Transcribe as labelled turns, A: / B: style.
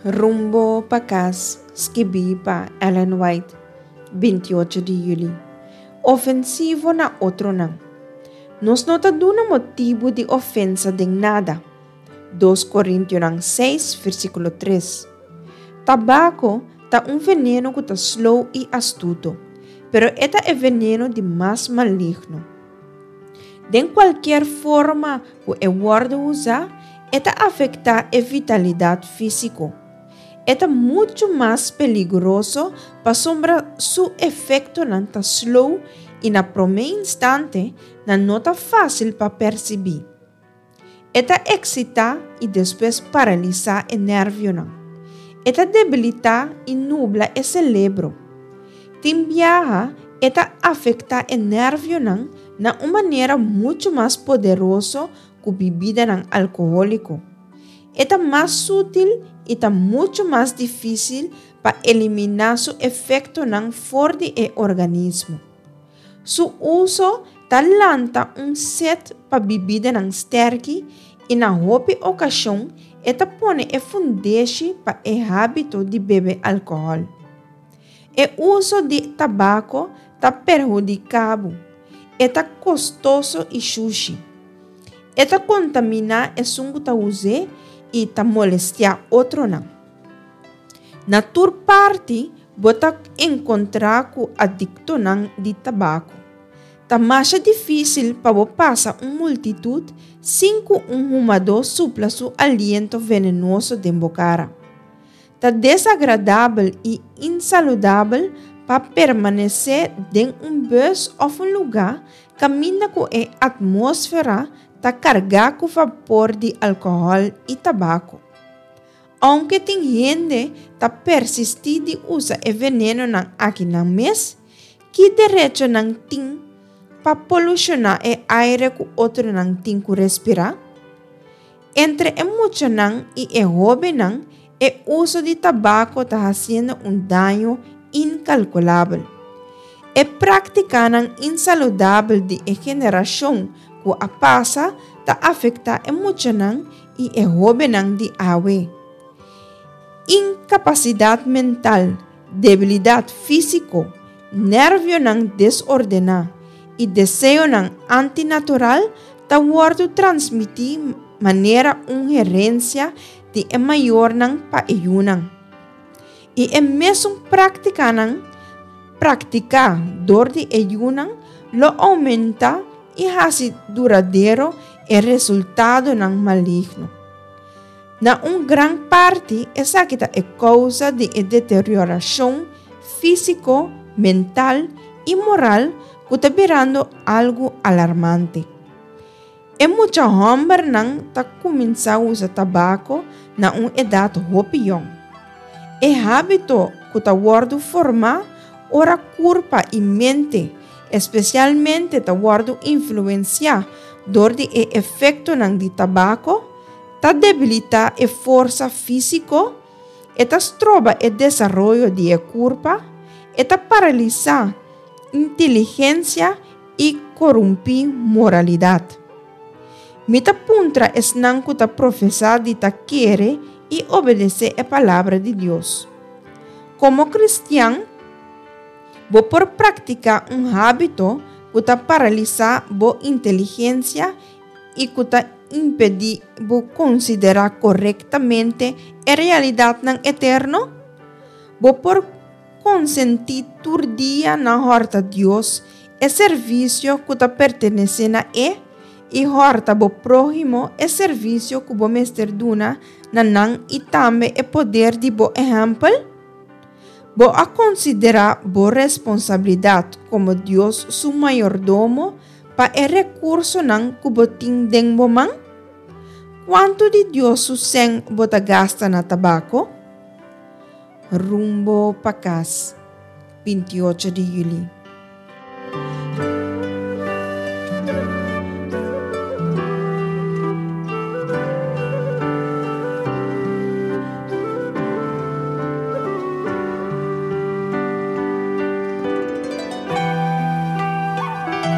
A: Rumbo pa kas, skibí pa Ellen White, 28 di yüli. Ofensivo na otronan. Nos no ta duna motibu di ofensa den nada. 2 Korintionan 6, versíkulo 3. Tabako ta un veneno ku ta slow i astuto, pero e ta e veneno di mas maligno. Den kualkier forma ku e wòrdu usá, e ta afektá e vitalidat físiko. E ta muchu mas peligroso pasobra su efektonan ta slow i na promé instante nan no ta fásil pa persibí. E ta eksitá i despues paralisá e nèrvionan. E ta debilitá i nubla e selebro. Tin biaha e ta afektá e nèrvionan na un manera muchu mas poderoso ku bibidanan alkohóliko. E ta mas sutil i ta muchu mas difísil pa eliminá su efektonan for di e organismo. Su uso ta lanta un set pa bibidanan sterki i na hopi okashon e ta pone e fundeshi pa e hábito di bebe alkohòl. E uso di tabako ta perhudiká bo, e ta kostoso i shushi. E ta kontaminá esun ku ta us'é i ta molestiá otronan. Na tur parti bo ta enkontrá ku adiktonan di tabako. Ta masha difísil pa bo pasa un multitut sin ku un humadó supla su aliento venenoso den bo kara. Ta desagradabel i insaludabel pa permanesé den un bus òf un lugá kaminda ku e atmósfera ta kargá ku vapor di alkohòl i tabako. Ounke tin hende ta persistí di usa e venenonan aki nan mes, ki derecho nan tin pa polushoná e aire ku otronan tin ku respirá? Entre e muchanan i e hóbennan e uso di tabako ta hasiendo un daño inkalkulabel. E práktikanan insaludabel di e generashon ku a pasa ta afektá e muchanan i e hóbennan di awe. Inkapasidat mental, debilidat físiko, nèrvionan desordená i deseonan antinatural ta wòrdu transmití manera un herensia di e mayornan pa e yunan. I e mesun práktikanan praktiká dor di e yunan lo oumentá i hasi duradero e resultadonan maligno. Na un gran parti esaki ta e kousa di e deteriorashon físiko, mental i moral ku ta birando algu alarmante. E mucha hòmbernan ta kuminsá usa tabako na un edat hopi yòn. E hábito ku ta wòrdu formá ora kurpa i mente espesialmente ta wòrdu influensiá dor di e efektonan di tabako, ta debilitá e forsa físiko, e ta stroba e desaroyo di e kurpa, e ta paralisá inteligensia i korumpí moralidat. Mi ta puntra esnan ku ta profesá di ta kere i obedesé e Palabra di Dios. Komo kristian, bo por praktiká un hábito ku ta paralisá bo inteligensia i ku ta impedí bo konsiderá korektamente e realidatnan eterno? Bo por Konsentí tur dia na hòrta Dios e servisio ku ta pertenesé na E i hòrta bo próhimo e servisio ku bo mester duna na nan i tambe e poder di bo ehèmpel? Bo a konsiderá bo responsabilidat komo Dios su mayordomo pa e rekursonan ku bo tin den bo man? Kuantu di Dios su sèn bo ta gasta na tabako? Rumbo pa kas, 28 di yüli.